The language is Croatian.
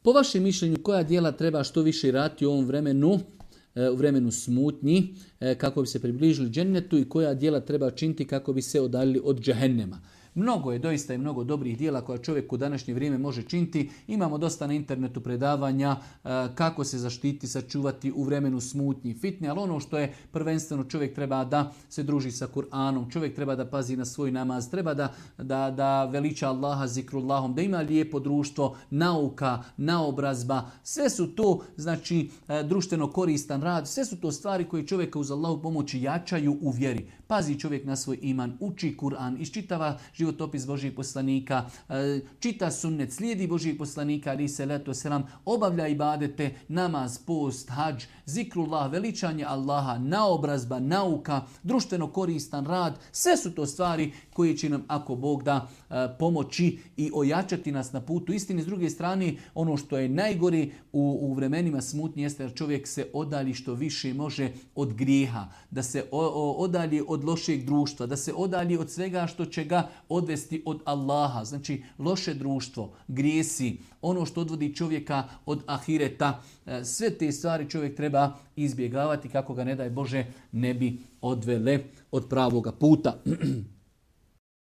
Po vašem mišljenju, koja djela treba što više raditi u ovom vremenu, u vremenu smutnji, kako bi se približili džennetu, i koja djela treba činiti kako bi se odaljili od džehennema? Mnogo je doista i mnogo dobrih djela koja čovjek u današnje vrijeme može činiti. Imamo dosta na internetu predavanja kako se zaštiti, sačuvati u vremenu smutnji i fitne, ali ono što je prvenstveno, čovjek treba da se druži sa Kur'anom, čovjek treba da pazi na svoj namaz, treba da veliča Allaha zikrullahom, da ima lijepo društvo, nauka, naobrazba. Sve su to, znači, društveno koristan rad, sve su to stvari koje čovjeka uz Allahu pomoći jačaju u vjeri. Pazi čovjek na svoj iman, uči Kur'an, iščitava životopis Božijeg poslanika, čita sunnet, slijedi Božijeg poslanika, ali se leto selam, obavlja ibadete, namaz, post, hadž, zikrullah, veličanje Allaha, naobrazba, nauka, društveno koristan rad. Sve su to stvari koje će nam, ako Bog da, pomoći i ojačati nas na putu istine. S druge strane, ono što je najgore u vremenima smutnje jeste da čovjek se odalji što više može od grijeha, da se odalji od lošeg društva, da se odalji od svega što će ga odvesti od Allaha. Znači, loše društvo, grijesi, ono što odvodi čovjeka od ahireta, sve te stvari čovjek treba izbjegavati kako ga, ne daj Bože, ne bi odvele od pravoga puta.